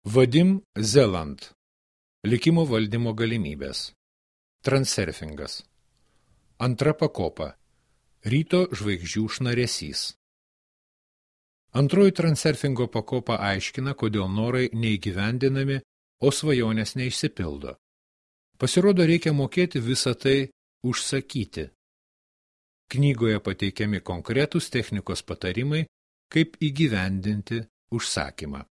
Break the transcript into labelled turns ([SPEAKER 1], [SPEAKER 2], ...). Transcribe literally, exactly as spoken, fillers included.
[SPEAKER 1] Vadim Zeland. Likimo valdymo galimybės. Transurfingas. Antra pakopa. Ryto žvaigždžių šnaresys. Antroji transurfingo pakopa aiškina, kodėl norai neįgyvendinami, o svajonės neišsipildo. Pasirodo, reikia mokėti visą tai užsakyti. Knygoje pateikiami konkretūs technikos patarimai, kaip įgyvendinti užsakymą.